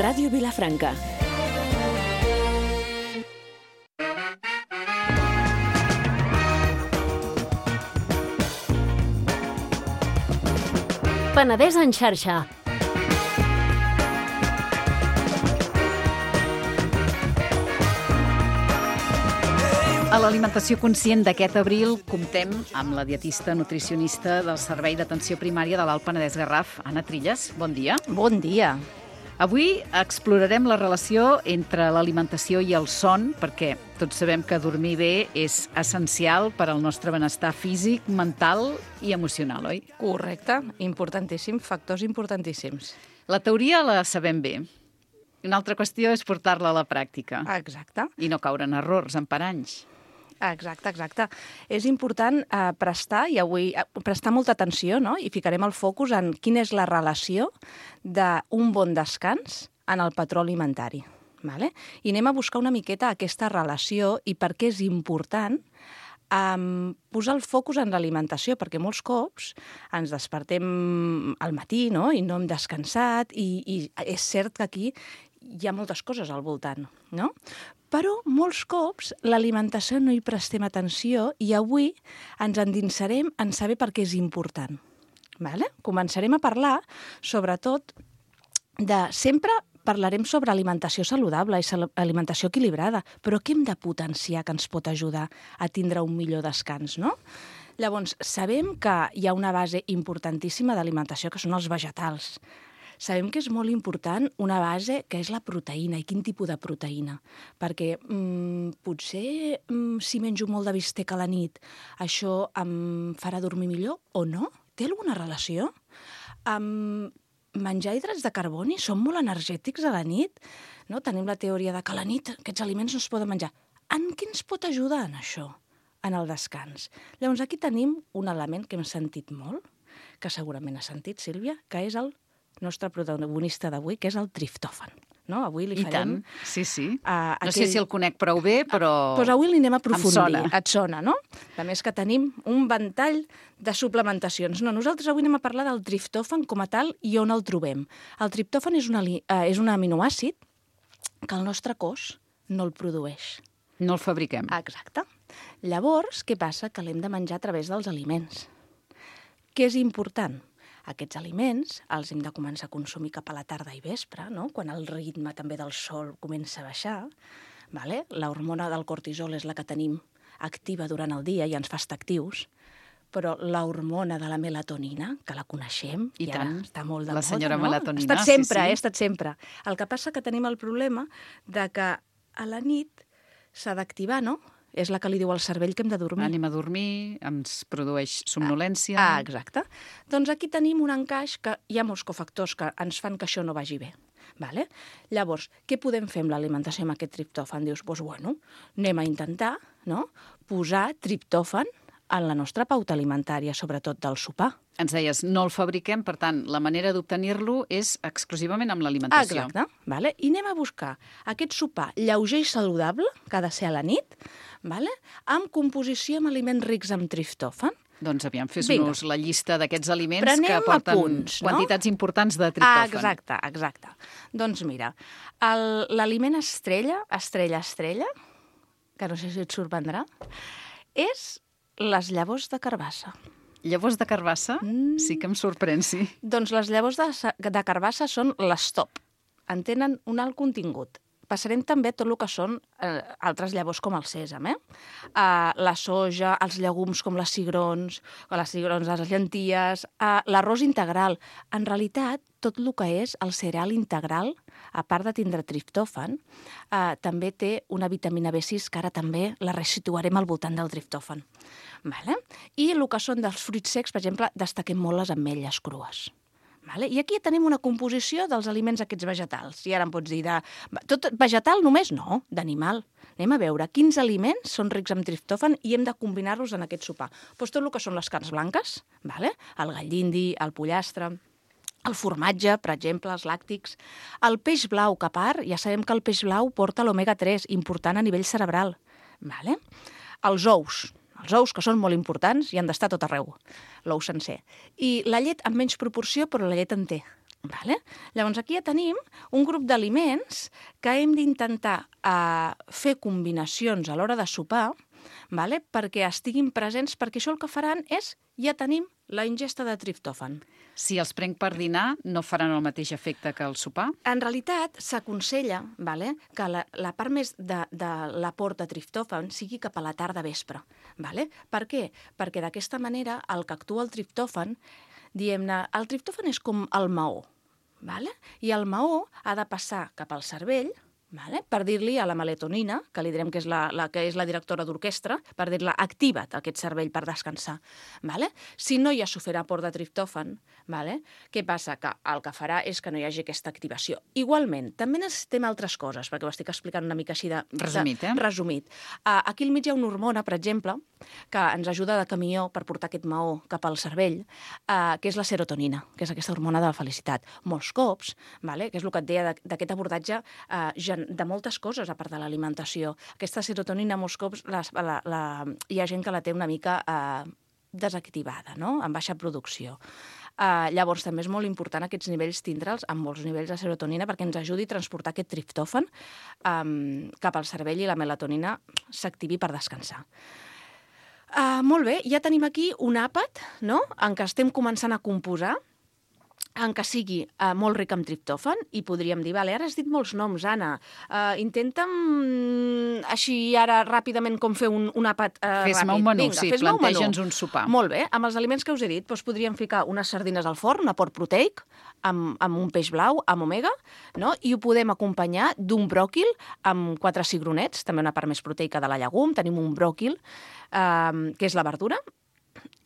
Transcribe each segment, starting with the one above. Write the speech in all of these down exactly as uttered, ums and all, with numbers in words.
Ràdio Vilafranca. Penedès en xarxa. A l'Alimentació Conscient d'aquest abril comptem amb la dietista nutricionista del Servei d'Atenció Primària de l'Alt Penedès Garraf, Anna Trilles. Bon dia. Bon dia. Avui explorarem la relació entre l'alimentació i el son, perquè tots sabem que dormir bé és essencial per al nostre benestar físic, mental i emocional, oi? Correcte, importantíssim, factors importantíssims. La teoria la sabem bé. Una altra qüestió és portar-la a la pràctica. Exacte. I no caure en errors, en paranys. Exacte, exacte. És important eh, prestar, i avui eh, prestar molta atenció, no? I ficarem el focus en quina és la relació d'un bon descans en el patró alimentari. Vale? I anem a buscar una miqueta aquesta relació i per què és important Um, posar el focus en l'alimentació, perquè molts cops ens despertem al matí, no?, i no hem descansat, i, i és cert que aquí hi ha moltes coses al voltant, no? Però molts cops l'alimentació no hi prestem atenció i avui ens endinsarem en saber per què és important. Vale? Començarem a parlar, sobretot, de sempre parlarem sobre alimentació saludable i alimentació equilibrada, però què hem de potenciar que ens pot ajudar a tindre un millor descans, no? Llavors, sabem que hi ha una base importantíssima d'alimentació, que són els vegetals. Sabem que és molt important una base que és la proteïna, i quin tipus de proteïna. Perquè mmm, potser mmm, si menjo molt de bistec a la nit, això em farà dormir millor o no? Té alguna relació? Um, menjar hidrats de carboni són molt energètics a la nit, no? Tenim la teoria de que a la nit aquests aliments no es poden menjar. En què ens pot ajudar en això, en el descans? Llavors aquí tenim un element que hem sentit molt, que segurament ha sentit, Sílvia, que és el nostre protagonista d'avui, que és el triptòfan. No? Avui li farem... I tant, sí, sí. Uh, no aquell... sé si el conec prou bé, però... Doncs pues avui li anem a aprofundir. Em sona. Et sona, no? A més que tenim un ventall de suplementacions. No, nosaltres avui anem a parlar del triptòfan com a tal i on el trobem. El triptòfan és, una, uh, és un aminoàcid que el nostre cos no el produeix. No el fabriquem. Exacte. Llavors, què passa? Que l'hem de menjar a través dels aliments. Què és important? Aquests aliments els hem de començar a consumir cap a la tarda i vespre, no? Quan el ritme també del sol comença a baixar. Vale? La hormona del cortisol és la que tenim activa durant el dia i ens fa estar actius, però la hormona de la melatonina, que la coneixem, i, i tant, ara està molt de la moda, senyora no? melatonina. Ha estat sempre, sí, sí. ha estat sempre. El que passa que tenim el problema de que a la nit s'ha d'activar, no? És la que li diu al cervell que hem de dormir. Anem a dormir, ens produeix somnolència... Ah, exacte. Doncs aquí tenim un encaix que hi ha molts cofactors que ens fan que això no vagi bé. Vale? Llavors, què podem fer amb l'alimentació amb aquest triptòfan? Dius, doncs, bueno, anem a intentar, no?, posar triptòfan en la nostra pauta alimentària, sobretot del sopar. Ens deies, no el fabriquem, per tant, la manera d'obtenir-lo és exclusivament amb l'alimentació. Exacte. Vale? I anem a buscar aquest sopar lleuger i saludable, que ha de ser a la nit, vale? Amb composició amb aliments rics en triptòfan. Doncs aviam, fes-nos la llista d'aquests aliments Prenem que porten apunts, no? quantitats importants de triptòfan. Ah, exacte, exacte. Doncs mira, l'aliment estrella, estrella, estrella, que no sé si et sorprendrà, és les llavors de carbassa. Llavors de carbassa? Mm. Sí que em sorprèn, sí. Doncs les llavors de, de carbassa són les top. En tenen un alt contingut. Passarem també tot el que són eh, altres llavors com el sèsam, eh? Uh, la soja, els llegums com les cigrons, o les cigrons, les llenties, uh, l'arròs integral. En realitat, tot el que és el cereal integral, a part de tindre triptòfan, uh, també té una vitamina B sis, que ara també la resituarem al voltant del triptòfan. Vale? I el que són dels fruits secs, per exemple, destaquem molt les ametlles crues. Vale? I aquí tenim una composició dels aliments aquests vegetals. I ara em pots dir, de... tot vegetal només? No, d'animal. Anem a veure quins aliments són rics en triptòfan i hem de combinar-los en aquest sopar. Doncs tot el que són les carns blanques, vale? El gall d'indi, el pollastre, el formatge, per exemple, els làctics, el peix blau, que a part ja sabem que el peix blau porta l'omega tres, important a nivell cerebral. Vale? Els ous, Els ous, que són molt importants i han d'estar a tot arreu, l'ou sencer. I la llet en menys proporció, però la llet en té. Vale? Llavors, aquí ja tenim un grup d'aliments que hem d'intentar uh, fer combinacions a l'hora de sopar, vale? Perquè estiguin presents, perquè això el que faran és, ja tenim la ingesta de triptòfan. Si els prenc per dinar, no faran el mateix efecte que el sopar? En realitat, s'aconsella, vale, que la, la part més de, de l'aport de triptòfan sigui cap a la tarda vespre. Vale? Per què? Perquè d'aquesta manera el que actua el triptòfan, diem-ne, el triptòfan és com el maó, vale? I el maó ha de passar cap al cervell, vale? Per dir-li a la melatonina, que li direm que és la, la, que és la directora d'orquestra, per dir-la, activa't aquest cervell per descansar. Vale? Si no hi ha suficient aport de triptòfan, vale? Què passa? Que el que farà és que no hi hagi aquesta activació. Igualment, també necessitem altres coses, perquè ho estic explicant una mica així de... Resumit, eh? De, resumit. Uh, aquí al mig hi ha una hormona, per exemple, que ens ajuda de camió per portar aquest maó cap al cervell, uh, que és la serotonina, que és aquesta hormona de la felicitat. Molts cops, vale? Que és el que et deia d'aquest abordatge uh, de moltes coses, a part de l'alimentació. Aquesta serotonina, molts cops, la, la, la, hi ha gent que la té una mica eh, desactivada, no? Amb baixa producció. Eh, llavors, també és molt important aquests nivells tindre'ls amb molts nivells de serotonina perquè ens ajudi a transportar aquest triptòfan eh, cap al cervell i la melatonina s'activi per descansar. Uh, molt bé, ja tenim aquí un àpat, no?, en què estem començant a composar, en què sigui uh, molt ric en triptòfan, i podríem dir, vale, ara has dit molts noms, Anna, uh, intenta'm mm, així ara ràpidament com fer un, un àpat uh, ràpid. Fes-me un menú, Vinga, sí, fes-me un planteja'ns menú. un sopar. Molt bé, amb els aliments que us he dit, doncs podríem ficar unes sardines al forn, un aport proteic, amb, amb un peix blau, amb omega, no? I ho podem acompanyar d'un bròquil amb quatre cigronets, també una part més proteica de la llegum, tenim un bròquil, uh, que és la verdura,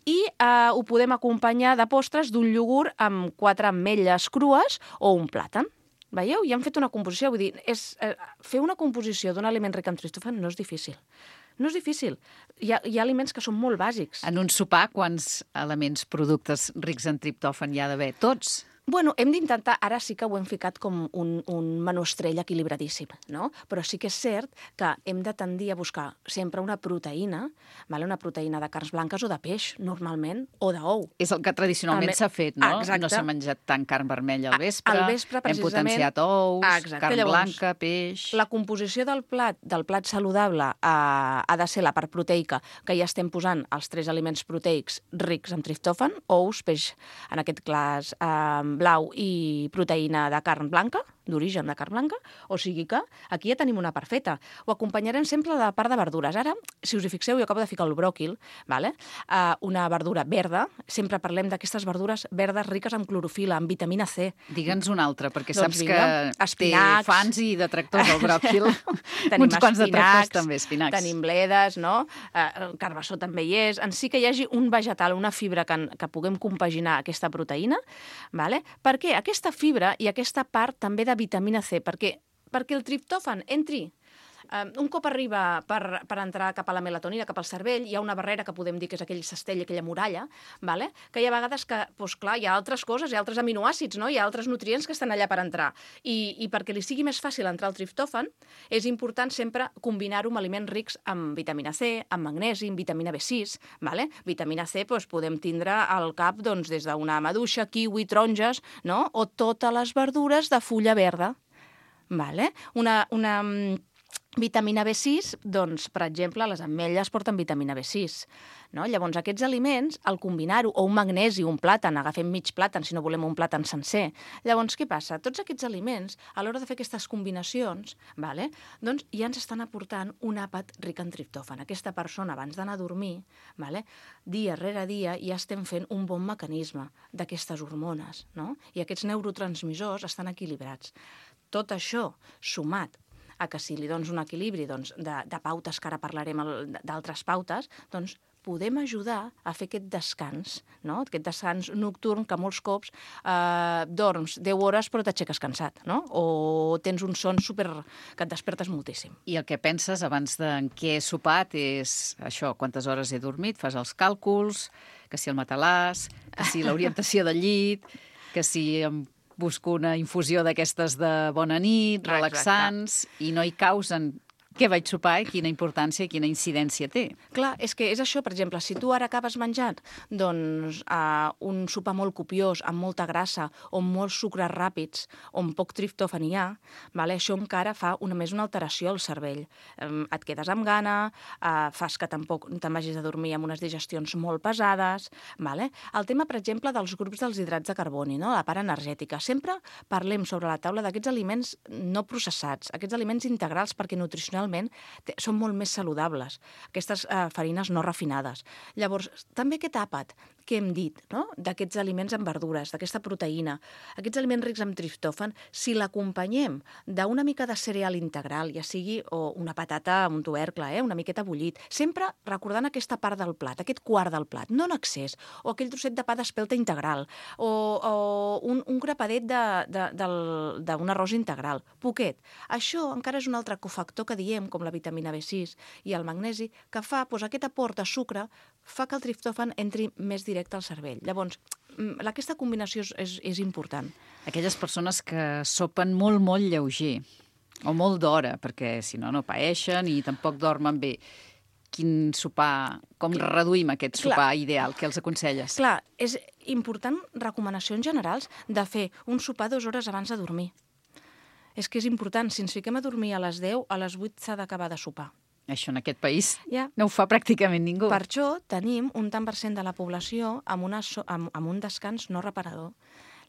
i eh, ho podem acompanyar de postres d'un iogurt amb quatre ametlles crues o un plàtan. Veieu? Ja hem fet una composició. Vull dir, és, eh, fer una composició d'un aliment ric en triptòfan no és difícil. No és difícil. Hi ha, hi ha aliments que són molt bàsics. En un sopar, quants elements, productes rics en triptòfan hi ha d'haver? Tots? Bueno, hem d'intentar, ara sí que ho hem ficat com un, un menú estrella equilibradíssim, no? Però sí que és cert que hem de tendir a buscar sempre una proteïna, vale? Una proteïna de carns blanques o de peix, normalment, o d'ou. És el que tradicionalment s'ha fet, no? Exacte. No s'ha menjat tant carn vermella al vespre, al vespre hem potenciat ous, Exacte. carn Llavors, blanca, peix... La composició del plat, del plat saludable eh, ha de ser la part proteica, que ja estem posant els tres aliments proteics rics en triptòfan, ous, peix, en aquest cas eh, blau i proteïna de carn blanca, d'origen de carn blanca, o sigui que aquí ja tenim una part feta. Ho acompanyarem sempre de la part de verdures. Ara, si us hi fixeu, jo acabo de ficar el bròquil, vale? uh, una verdura verda, sempre parlem d'aquestes verdures verdes riques en clorofila, amb vitamina C. Digue'ns una altra, perquè Doncs saps vinga, que espinacs. té fans i detractors el bròquil. Tenim uns quants detractors espinacs, també, espinacs. tenim bledes, no? Uh, carbassó també hi és. En sí que hi hagi un vegetal, una fibra que, que puguem compaginar aquesta proteïna, vale? Perquè aquesta fibra i aquesta part també de vitamina C, perquè, perquè el triptòfan entri. Um, un cop arriba per, per entrar cap a la melatonina, cap al cervell, hi ha una barrera que podem dir que és aquell cistell, aquella muralla, vale? Que hi ha vegades que, doncs clar, hi ha altres coses, hi ha altres aminoàcids, no? Hi ha altres nutrients que estan allà per entrar. I, i perquè li sigui més fàcil entrar el triptòfan, és important sempre combinar-ho amb aliments rics amb vitamina C, amb magnesi, amb vitamina B sis, vale? Vitamina C doncs, podem tindre al cap doncs, des d'una maduixa, kiwi, taronges, no? O totes les verdures de fulla verda. Vale? Una... una Vitamina B sis, doncs, per exemple, les ametlles porten vitamina B sis. No? Llavors, aquests aliments, al combinar-ho, o un magnesi, un plàtan, agafem mig plàtan si no volem un plàtan sencer. Llavors, què passa? Tots aquests aliments, a l'hora de fer aquestes combinacions, vale? Doncs ja ens estan aportant un àpat ric en triptòfan. Aquesta persona, abans d'anar a dormir, vale? Dia rere dia, ja estem fent un bon mecanisme d'aquestes hormones, no? I aquests neurotransmissors estan equilibrats. Tot això, sumat a que si li dones un equilibri doncs, de, de pautes, que ara parlarem d'altres pautes, doncs podem ajudar a fer aquest descans, no? Aquest descans nocturn que molts cops eh, dorms deu hores però t'aixeques cansat, no? O tens un son super... que et despertes moltíssim. I el que penses abans de en què he sopat és això, quantes hores he dormit, fas els càlculs, que si el matalàs, que si l'orientació del llit, que si em busco una infusió d'aquestes de bona nit, relaxants, i no hi causen què vaig sopar i quina importància i quina incidència té. Clar, és que és això, per exemple, si tu ara acabes menjant doncs, uh, un sopar molt copiós, amb molta grassa, o amb molts sucres ràpids, on poc triptòfan hi ha, vale? Això encara fa una, més una alteració al cervell. Um, et quedes amb gana, uh, fas que tampoc te'n vagis a dormir amb unes digestions molt pesades. Vale? El tema, per exemple, dels grups dels hidrats de carboni, no? La part energètica. Sempre parlem sobre la taula d'aquests aliments no processats, aquests aliments integrals, perquè nutricionalment són molt més saludables, aquestes eh, farines no refinades. Llavors, també aquest àpat que hem dit, no? D'aquests aliments amb verdures, d'aquesta proteïna, aquests aliments rics en triptòfan, si l'acompanyem d'una mica de cereal integral, ja sigui o una patata amb un tubercle, eh? Una miqueta bullit, sempre recordant aquesta part del plat, aquest quart del plat, no en excés, o aquell trosset de pa d'espelta integral, o, o un, un grapadet d'un arròs integral, poquet. Això encara és un altre cofactor que diem, com la vitamina B sis i el magnesi, que fa, doncs, aquest aport de sucre fa que el triptòfan entri més directe al cervell. Llavors, aquesta combinació és, és, és important. Aquelles persones que sopen molt, molt lleuger, o molt d'hora, perquè si no, no paeixen i tampoc dormen bé. Quin sopar, com reduïm aquest sopar Clar. Ideal? Què els aconselles? Clar, és important, recomanacions generals, de fer un sopar dues hores abans de dormir. És que és important, si ens fiquem a dormir a les deu, a les vuit s'ha d'acabar de sopar. Això en aquest país ja. No ho fa pràcticament ningú. Per això tenim un tant per cent de la població amb, una so amb, amb un descans no reparador.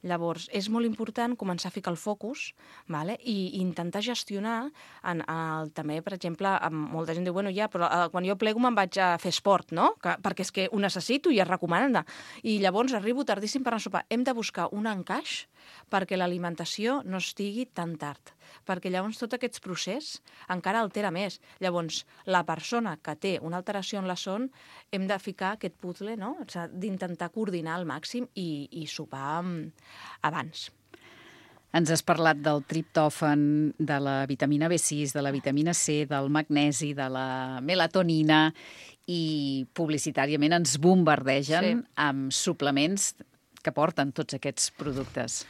Llavors, és molt important començar a ficar el focus, vale? I intentar gestionar, en, el, també, per exemple, amb molta gent diu, bueno, ja, però eh, quan jo plego me'n vaig a fer esport, no? Que, perquè és que ho necessito i es recomana. I llavors arribo tardíssim per anar a sopar. Hem de buscar un encaix perquè l'alimentació no estigui tan tard, perquè llavors tot aquest procés encara altera més. Llavors, la persona que té una alteració en la son, hem de ficar aquest puzzle, no? O sigui, d'intentar coordinar al màxim i, i sopar abans. Ens has parlat del triptòfan, de la vitamina B sis, de la vitamina C, del magnesi, de la melatonina, i publicitàriament ens bombardegen sí. amb suplements que porten tots aquests productes.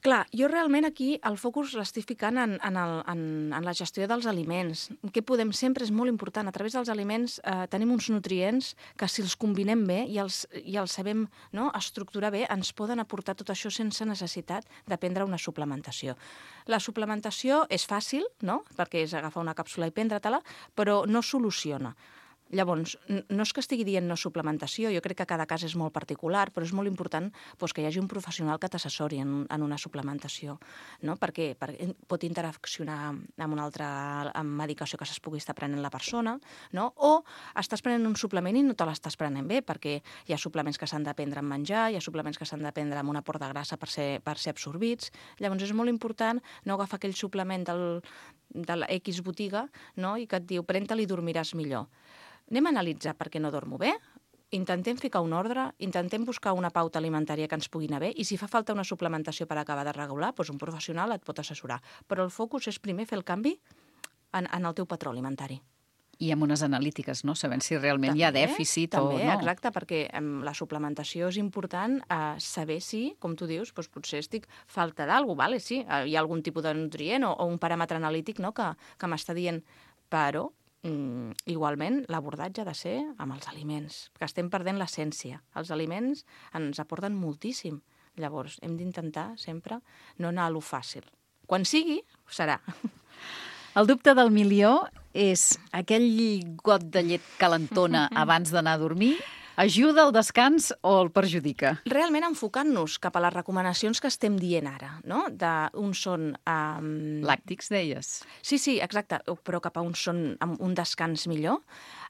Clar, jo realment aquí el focus l'estic ficant en, en, el, en, en la gestió dels aliments. Què podem sempre és molt important. A través dels aliments eh, tenim uns nutrients que si els combinem bé i els, i els sabem, no, estructurar bé, ens poden aportar tot això sense necessitat de prendre una suplementació. La suplementació és fàcil, no?, perquè és agafar una càpsula i prendre-te-la, però no soluciona. Llavors, no és que estigui dient no suplementació, jo crec que cada cas és molt particular, però és molt important doncs, que hi hagi un professional que t'assessori en, en una suplementació, no? perquè, perquè pot interaccionar amb una altra amb medicació que es pugui estar prenent la persona, no? O estàs prenent un suplement i no te l'estàs prenent bé, perquè hi ha suplements que s'han de prendre en menjar, hi ha suplements que s'han de prendre amb un aport de grassa per ser, per ser absorbits. Llavors és molt important no agafar aquell suplement del, de la X botiga, no? I que et diu pren-te'l i dormiràs millor. Anem a analitzar per què no dormo bé, intentem ficar un ordre, intentem buscar una pauta alimentària que ens pugui anar bé i si fa falta una suplementació per acabar de regular, doncs un professional et pot assessorar. Però el focus és primer fer el canvi en, en el teu patró alimentari. I amb unes analítiques, no? Sabent si realment també, hi ha dèficit també, o no. Exacte, perquè um, la suplementació és important uh, saber si, com tu dius, doncs potser estic falta d'alguna cosa, vale? Sí, uh, hi ha algun tipus de nutrient o, o un paràmetre analític, no?, que, que m'està dient, però Mm, igualment, l'abordatge ha de ser amb els aliments, que estem perdent l'essència. Els aliments ens aporten moltíssim. Llavors, hem d'intentar sempre no anar a lo fàcil. Quan sigui, serà. El dubte del milió és aquell got de llet calentona abans d'anar a dormir. Ajuda al descans o el perjudica? Realment enfocant-nos cap a les recomanacions que estem dient ara, no? D'un son... Um... Làctics, deies? Sí, sí, exacte, però cap a un son amb un descans millor.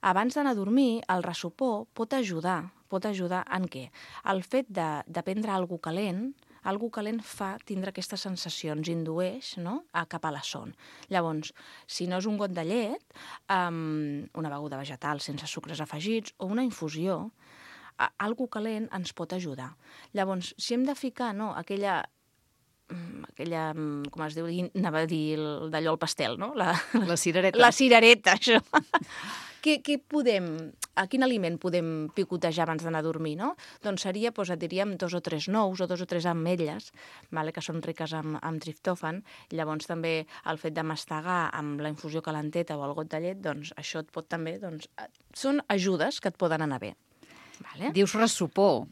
Abans d'anar a dormir, el ressopor pot ajudar. Pot ajudar en què? El fet de, de prendre alguna cosa calent, algú calent fa tindre aquestes sensacions, indueix, no?, a cap a la son. Llavors, si no és un got de llet, um, una beguda vegetal sense sucres afegits o una infusió, a, algú calent ens pot ajudar. Llavors, si hem de ficar, no?, aquella aquella, com es diu, anava a dir d'allò al pastel, no? La, la cirereta. La cirereta, això. Què, què podem a quin aliment podem picotejar abans d'anar a dormir, no? Doncs seria, doncs, et diríem, dos o tres nous o dos o tres ametlles, vale, que són riques amb, amb triptòfan. Llavors també el fet de mastegar amb la infusió calenteta o el got de llet, doncs això et pot també... Doncs, són ajudes que et poden anar bé. Vale? Dius ressupor,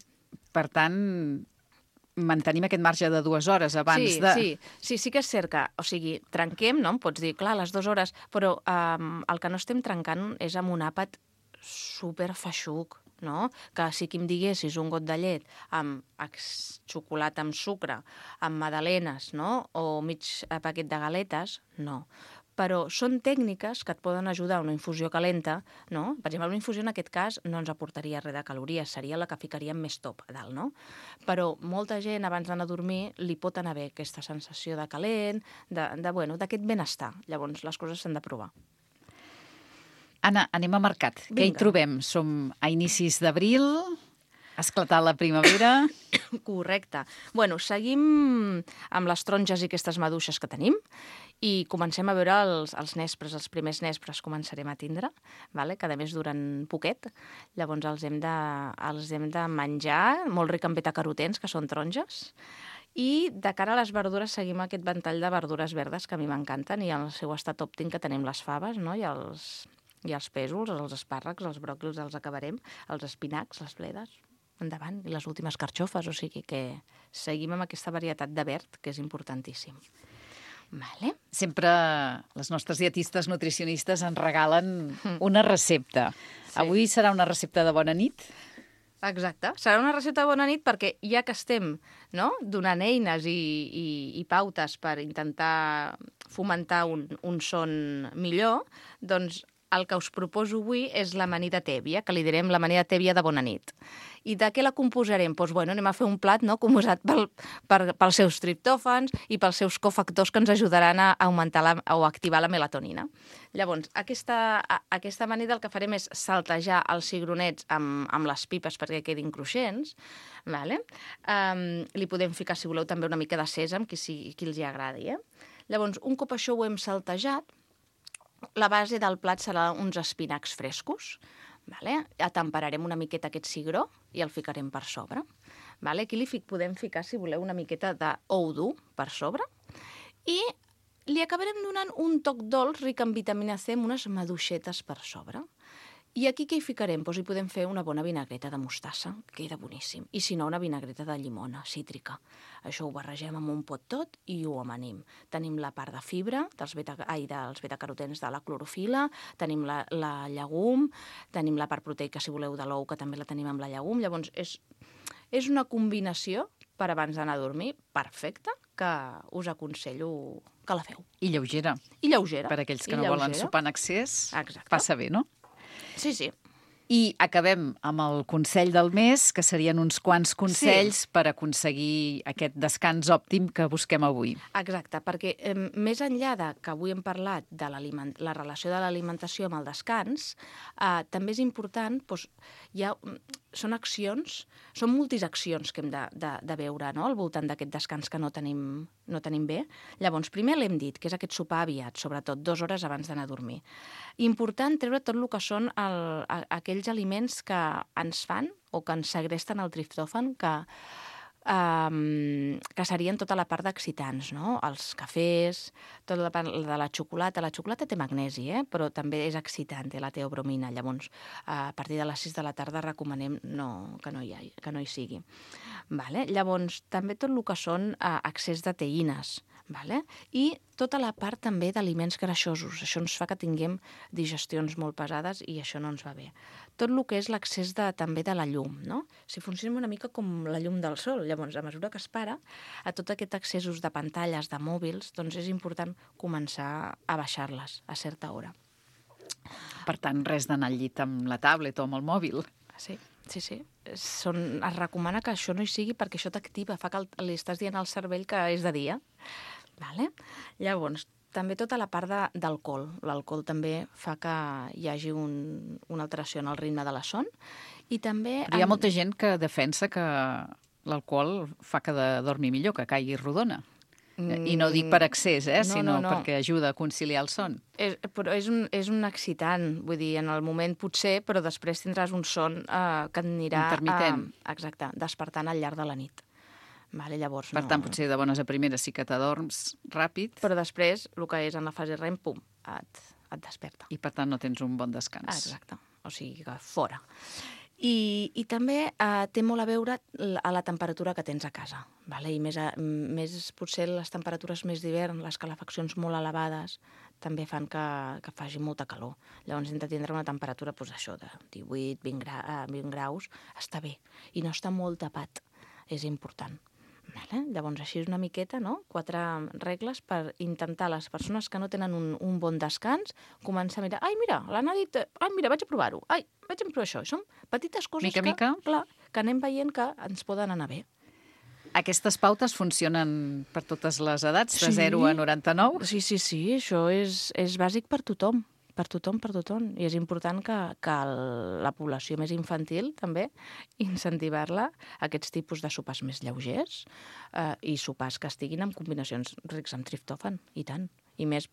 per tant, mantenim aquest marge de dues hores abans sí, de... Sí, sí, sí que és cert que, o sigui, trenquem, no? Em pots dir, clar, les dues hores, però um, el que no estem trencant és amb un àpat superfeixuc, no? Que si aquí em diguessis un got de llet amb xocolata amb sucre, amb magdalenes, no? O mig paquet de galetes, no. Però són tècniques que et poden ajudar a una infusió calenta, no? Per exemple, una infusió en aquest cas no ens aportaria res de calories, seria la que ficaríem més top a dalt, no? Però molta gent abans d'anar a dormir li pot anar bé aquesta sensació de calent, de, de bueno, d'aquest benestar. Llavors, les coses s'han de provar. Anna, anem a mercat. Vinga. Què hi trobem? Som a inicis d'abril, ha esclatat la primavera... Correcte. Bueno, seguim amb les taronges i aquestes maduixes que tenim i comencem a veure els, els nespres, els primers nespres començarem a tindre, vale? Que a més duren poquet. Llavors els hem de, els hem de menjar, molt ric en betacarotens, que són taronges, i de cara a les verdures seguim aquest ventall de verdures verdes que a mi m'encanten i en el seu estat òptim que tenim les faves, no? I els, i els pèsols, els espàrrecs, els bròquils els acabarem, els espinacs, les bledes... endavant, i les últimes carxofes, o sigui que seguim amb aquesta varietat de verd, que és importantíssim. Vale. Sempre les nostres dietistes nutricionistes ens regalen una recepta. Sí. Avui serà una recepta de bona nit? Exacte. Serà una recepta de bona nit perquè ja que estem, no?, donant eines i, i, i pautes per intentar fomentar un, un son millor, doncs el que us proposo avui és l'amanida tèbia, que li direm l'amanida tèbia de bona nit. I de què la composarem? Doncs, bueno, anem a fer un plat, no?, composat pel, per, pels seus triptòfans i pels seus cofactors que ens ajudaran a augmentar la, o a activar la melatonina. Llavors, aquesta, a, aquesta amanida el que farem és saltejar els cigronets amb, amb les pipes perquè quedin cruixents. Vale? Um, li podem ficar, si voleu, també una mica de sèsam, qui, si, qui els hi agradi. Eh? Llavors, un cop això ho hem saltejat, la base del plat serà uns espinacs frescos. Vale? Atemperarem una miqueta aquest cigró i el ficarem per sobre. Vale? Aquí li fic, podem ficar, si voleu, una miqueta d'ou dur per sobre. I li acabarem donant un toc dolç ric en vitamina C amb unes maduixetes per sobre. I aquí què hi ficarem? Doncs hi podem fer una bona vinagreta de mostassa, que queda boníssim. I si no, una vinagreta de llimona, cítrica. Això ho barregem amb un pot tot i ho amanim. Tenim la part de fibra, dels, beta, ai, dels betacarotens de la clorofila, tenim la, la llegum, tenim la part proteica, si voleu, de l'ou, que també la tenim amb la llegum. Llavors, és, és una combinació per abans d'anar a dormir perfecta, que us aconsello que la feu. I lleugera. I lleugera. Per aquells que I no lleugera. volen sopar en excés, Exacte. passa bé, no? Sí, sí. I acabem amb el consell del mes, que serien uns quants consells sí. per aconseguir aquest descans òptim que busquem avui. Exacte, perquè eh, més enllà de que avui hem parlat de la relació de l'alimentació amb el descans, eh, també és important, doncs, hi ha, són accions, són multisaccions que hem de, de, de veure, no?, al voltant d'aquest descans que no tenim, no tenim bé. Llavors, primer l'hem dit, que és aquest sopar aviat, sobretot dues hores abans d'anar a dormir. Important treure tot el que són el, aquells aliments que ens fan o que ens segresten el triptòfan, que, um, que serien tota la part d'excitants, no? Els cafès, tota la part de la xocolata. La xocolata té magnesi, eh? Però també és excitant, té la teobromina. Llavors, a partir de les sis de la tarda recomanem no, que, no hi ha, que no hi sigui. Vale? Llavors, també tot el que són uh, excés de teïnes, vale? I tota la part també d'aliments greixosos. Això ens fa que tinguem digestions molt pesades i això no ens va bé. Tot el que és l'accés de, també de la llum, no? Si funcionem una mica com la llum del sol, llavors, a mesura que es para, a tot aquest accessos de pantalles, de mòbils, doncs és important començar a baixar-les a certa hora. Per tant, res d'anar al llit amb la tablet o amb el mòbil. Sí, sí, sí. Són, es recomana que això no hi sigui perquè això t'activa, fa que el, li estàs dient al cervell que és de dia. Vale? Llavors, també tota la part de, d'alcohol. L'alcohol també fa que hi hagi un, una alteració en el ritme de la son. I també... Però hi ha molta gent que defensa que l'alcohol fa que de dormir millor, que caigui rodona. I no dic per accés, eh, no, sinó no, no. perquè ajuda a conciliar el son. És, però és un, és un excitant, vull dir, en el moment potser, però després tindràs un son eh, que et anirà... Intermitent. Eh, exacte, despertant al llarg de la nit. Vale, llavors, Per no... tant, potser de bones a primeres sí que t'adorms ràpid. Però després, el que és en la fase REM, pum, et, et desperta. I per tant no tens un bon descans. Ah, exacte, o sigui que fora. I, i també eh, té molt a veure a la temperatura que tens a casa. Vale? I més, a, més potser les temperatures més d'hivern, les calefaccions molt elevades, també fan que, que faci molta calor. Llavors hem de tindre una temperatura doncs, això de divuit, vint, gra, vint graus, està bé. I no està molt tapat, és important. Vale? Llavors, així és una miqueta, no? Quatre regles per intentar les persones que no tenen un, un bon descans començar a mirar, ai, mira, l'Anna ha dit, ai, mira, vaig a provar-ho, ai, vaig a provar això. Són petites coses mica, que, mica. Clar, que anem veient que ens poden anar bé. Aquestes pautes funcionen per totes les edats, de Sí. zero a noranta-nou? Sí, sí, sí, això és, és bàsic per tothom. Per tothom, per tothom. I és important que, que el, la població més infantil, també, incentivar-la a aquests tipus de sopars més lleugers eh, i sopars que estiguin amb combinacions rics amb triptòfan, i tant. I més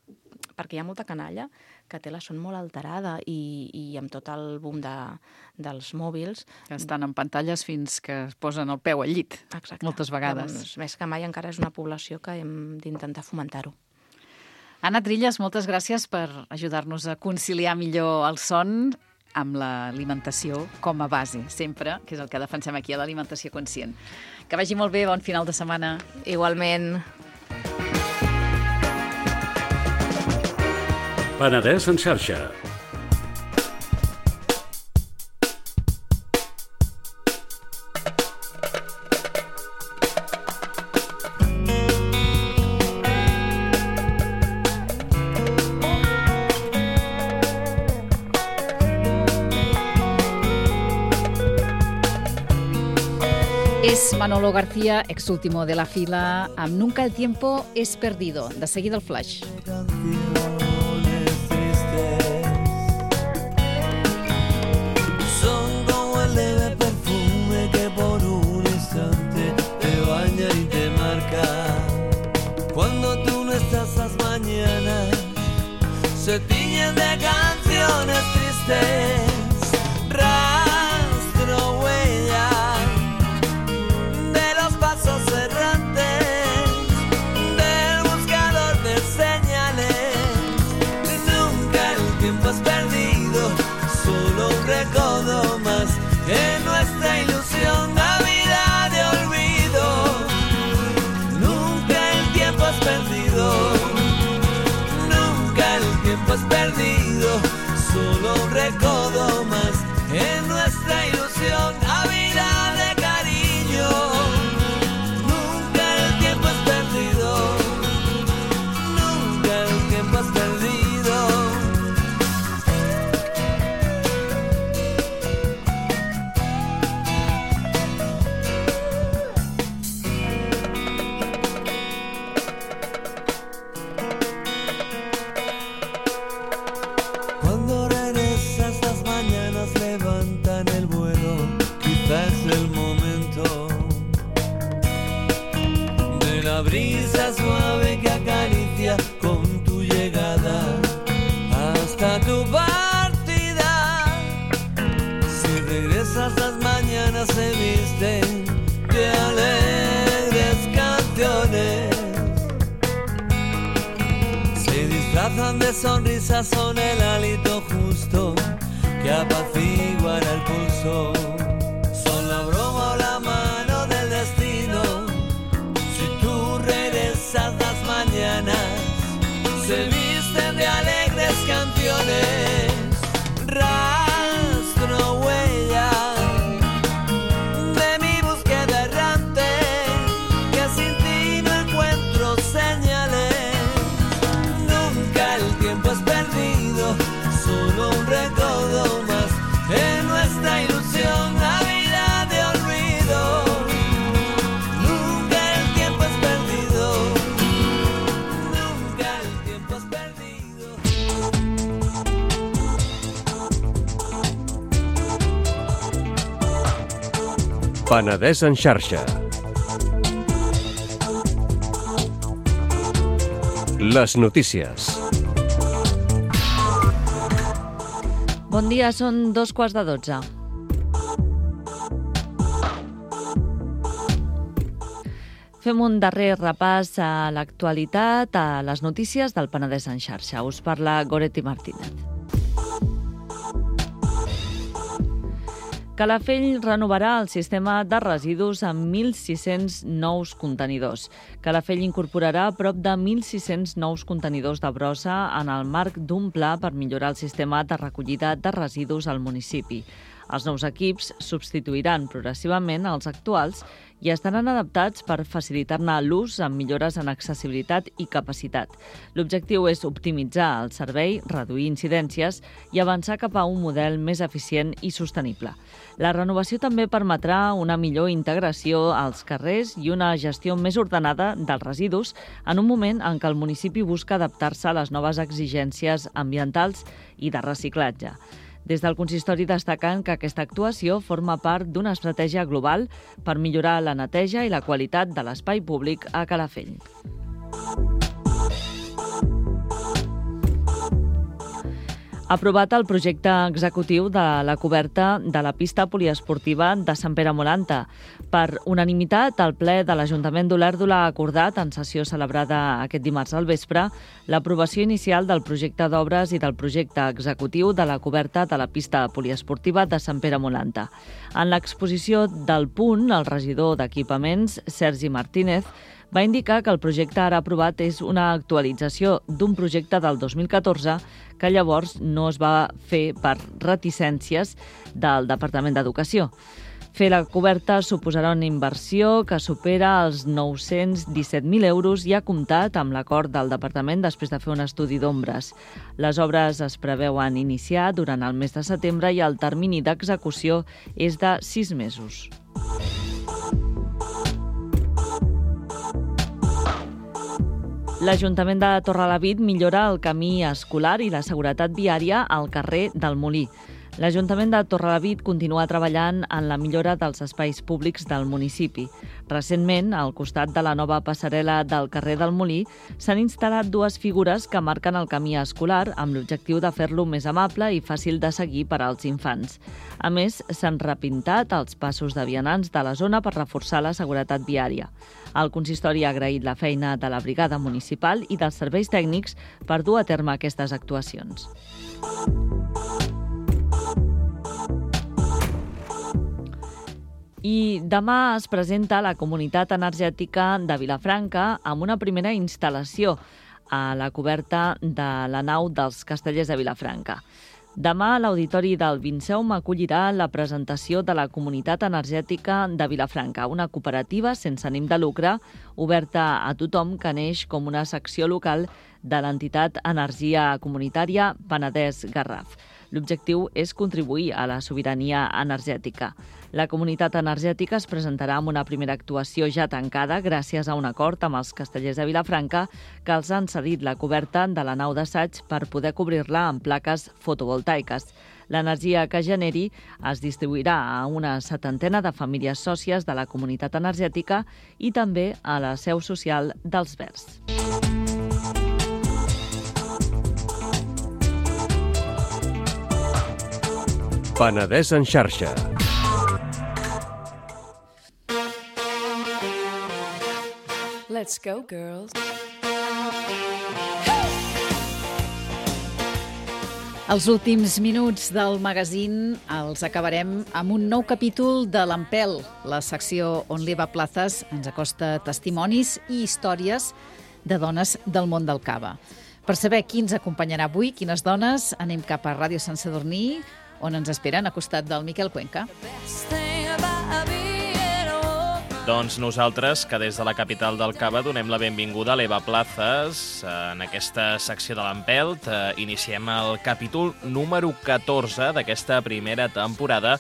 perquè hi ha molta canalla que té la son molt alterada i, i amb tot el boom de, dels mòbils... Que estan en pantalles fins que es posen el peu al llit, Exacte. moltes vegades. Doncs, més que mai encara és una població que hem d'intentar fomentar-ho. Anna Trilles, moltes gràcies per ajudar-nos a conciliar millor el son amb l'alimentació com a base, sempre, que és el que defensem aquí a l'Alimentació Conscient. Que vagi molt bé, bon final de setmana. Igualment. Penedès en xarxa. És Manolo García, ex último de la fila, amb Nunca el tiempo es perdido. De seguida el flash. Son como el leve perfume que por un instante te baña y te marca. Cuando tú no estás, las mañanas se tiñen de canciones tristes. Rastro, huella de los pasos errantes del buscador de señales. Nunca el tiempo es perdido, solo un recodo más en nuestra ilusión, Navidad de olvido. Nunca el tiempo es perdido, nunca el tiempo es perdido, solo un recodo más en nuestra ilusión, Navidad de cariño. Nunca el tiempo es perdido, nunca el tiempo es perdido. Cuando regresas, las mañanas levantan el vuelo, quizás el momento de la brisa suave que acaricia con tu llegada hasta tu partida. Si regresas, las mañanas se visten de alegres canciones, se disfrazan de sonrisas, son el hálito justo que apaciguan el pulso. Son la broma o la mano del destino. Si tú regresas, las mañanas se visten de alegres canciones. Rastro, huella de mi búsqueda errante, que sin ti no encuentro señales. Nunca el tiempo es perdido, solo un recodo más en nuestra ilusión, Navidad de olvido. Nunca el tiempo es perdido, nunca el tiempo es perdido. Penedès en xarxa. Les notícies. Bon dia, són dos quarts de dotze. Fem un darrer repàs a l'actualitat, a les notícies del Penedès en xarxa. Us parla Goretti Martínez. Calafell renovarà el sistema de residus amb mil sis-cents nous contenidors. Calafell incorporarà prop de mil sis-cents nous contenidors de brossa en el marc d'un pla per millorar el sistema de recollida de residus al municipi. Els nous equips substituiran progressivament els actuals i estaran adaptats per facilitar-ne l'ús amb millores en accessibilitat i capacitat. L'objectiu és optimitzar el servei, reduir incidències i avançar cap a un model més eficient i sostenible. La renovació també permetrà una millor integració als carrers i una gestió més ordenada dels residus en un moment en què el municipi busca adaptar-se a les noves exigències ambientals i de reciclatge. Des del consistori destaquen que aquesta actuació forma part d'una estratègia global per millorar la neteja i la qualitat de l'espai públic a Calafell. Aprovat el projecte executiu de la coberta de la pista poliesportiva de Sant Pere Molanta. Per unanimitat, el ple de l'Ajuntament d'Olèrdola ha acordat, en sessió celebrada aquest dimarts al vespre, l'aprovació inicial del projecte d'obres i del projecte executiu de la coberta de la pista poliesportiva de Sant Pere Molanta. En l'exposició del punt, el regidor d'Equipaments, Sergi Martínez, va indicar que el projecte ara aprovat és una actualització d'un projecte del dos mil catorze que llavors no es va fer per reticències del Departament d'Educació. Fer la coberta suposarà una inversió que supera els nou-cents disset mil euros i ha comptat amb l'acord del Departament després de fer un estudi d'ombres. Les obres es preveuen iniciar durant el mes de setembre i el termini d'execució és de sis mesos. L'Ajuntament de Torrelavit millora el camí escolar i la seguretat viària al carrer del Molí. L'Ajuntament de Torrelavit continua treballant en la millora dels espais públics del municipi. Recentment, al costat de la nova passarel·la del carrer del Molí, s'han instal·lat dues figures que marquen el camí escolar amb l'objectiu de fer-lo més amable i fàcil de seguir per als infants. A més, s'han repintat els passos de vianants de la zona per reforçar la seguretat viària. El consistori ha agraït la feina de la brigada municipal i dels serveis tècnics per dur a terme aquestes actuacions. I demà es presenta la Comunitat Energètica de Vilafranca amb una primera instal·lació a la coberta de la nau dels Castellers de Vilafranca. Demà l'Auditori del Vinceum acollirà la presentació de la Comunitat Energètica de Vilafranca, una cooperativa sense ànim de lucre oberta a tothom que neix com una secció local de l'entitat Energia Comunitària Penedès Garraf. L'objectiu és contribuir a la sobirania energètica. La comunitat energètica es presentarà amb una primera actuació ja tancada gràcies a un acord amb els Castellers de Vilafranca que els han cedit la coberta de la nau d'assaig per poder cobrir-la amb plaques fotovoltaiques. L'energia que generi es distribuirà a una setantena de famílies sòcies de la comunitat energètica i també a la seu social dels Verds. Penedès en xarxa. Let's go, girls. Els últims minuts del magazín els acabarem amb un nou capítol de l'Empel, la secció on l'Eva Plazas ens acosta testimonis i històries de dones del món del cava. Per saber qui ens acompanyarà avui, quines dones, anem cap a Ràdio Sant Sadurní, on ens esperen a costat del Miquel Cuenca. Doncs nosaltres, que des de la capital del cava donem la benvinguda a l'Eva Plazas en aquesta secció de l'Empelt. Iniciem el capítol número catorze d'aquesta primera temporada,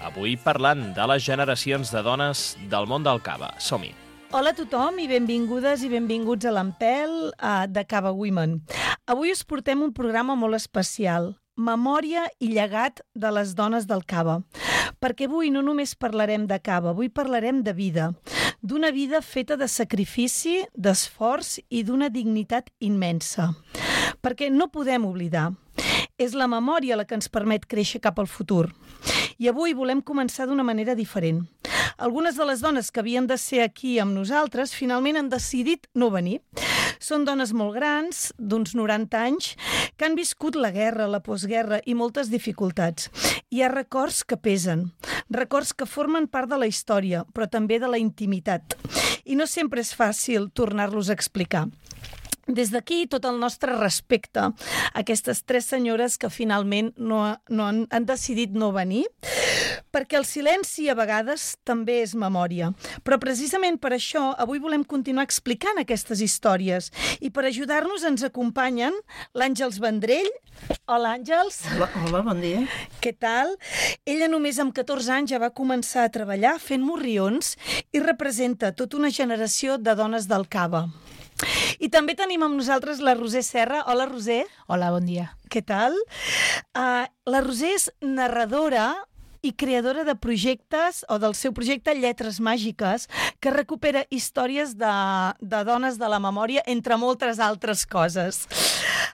avui parlant de les generacions de dones del món del cava. Som-hi! Hola a tothom i benvingudes i benvinguts a l'Empel de Cava Women. Avui us portem un programa molt especial, Memòria i llegat de les dones del cava. Perquè avui no només parlarem de cava, avui parlarem de vida. d'una vida feta de sacrifici, d'esforç i d'una dignitat immensa. Perquè no podem oblidar, és la memòria la que ens permet créixer cap al futur. I avui volem començar d'una manera diferent. Algunes de les dones que havien de ser aquí amb nosaltres finalment han decidit no venir. Són dones molt grans, d'uns noranta anys, que han viscut la guerra, la postguerra i moltes dificultats. Hi ha records que pesen, records que formen part de la història, però també de la intimitat. I no sempre és fàcil tornar-los a explicar. Des d'aquí, tot el nostre respecte a aquestes tres senyores que finalment no, no han, han decidit no venir, perquè el silenci a vegades també és memòria. Però precisament per això avui volem continuar explicant aquestes històries i per ajudar-nos ens acompanyen l'Àngels Vendrell. Hola, Àngels. Hola, hola, bon dia. Què tal? Ella només amb catorze anys ja va començar a treballar fent morrions i representa tota una generació de dones del Cava. I també tenim amb nosaltres la Roser Serra. Hola, Roser. Hola, bon dia. Què tal? Uh, la Roser és narradora i creadora de projectes, o del seu projecte Lletres Màgiques, que recupera històries de, de dones de la memòria, entre moltes altres coses.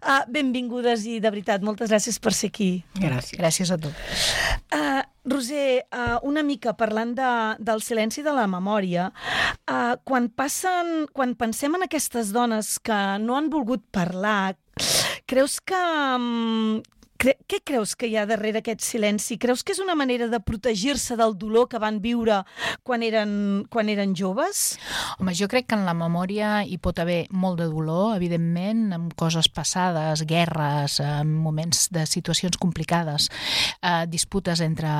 Uh, benvingudes i, de veritat, moltes gràcies per ser aquí. Gràcies. Gràcies a tu. Uh, Roser, uh, una mica parlant de, del silenci de la memòria, uh, quan, passen, quan pensem en aquestes dones que no han volgut parlar, creus que... Um, cre què creus que hi ha darrere aquest silenci? Creus que és una manera de protegir-se del dolor que van viure quan eren, quan eren joves? Home, jo crec que en la memòria hi pot haver molt de dolor, evidentment, amb coses passades, guerres, amb moments de situacions complicades, eh, disputes entre,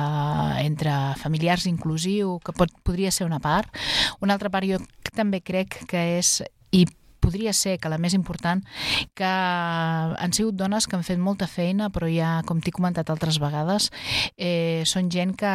entre familiars inclusiu, que pot, podria ser una part. Una altra part jo també crec que és... i podria ser que la més important, que han sigut dones que han fet molta feina, però ja, com t'he comentat altres vegades, eh, són gent que,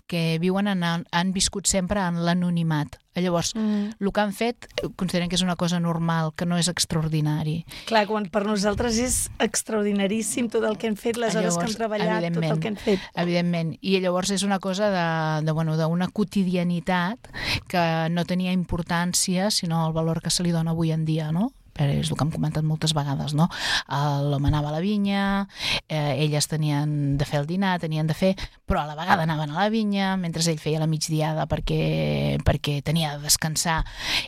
que viuen en, han viscut sempre en l'anonimat. Llavors, mm. el que han fet, consideren que és una cosa normal, que no és extraordinari. Clar, quan per nosaltres és extraordinaríssim tot el que hem fet, les hores que hem treballat, tot el que hem fet. Evidentment. I llavors és una cosa de, de, bueno, d'una quotidianitat que no tenia importància, sinó el valor que se li dona avui en dia, no? Però és el que hem comentat moltes vegades, no? L'home anava a la vinya, eh, elles tenien de fer el dinar, tenien de fer, però a la vegada anaven a la vinya, mentre ell feia la migdiada perquè, perquè tenia de descansar,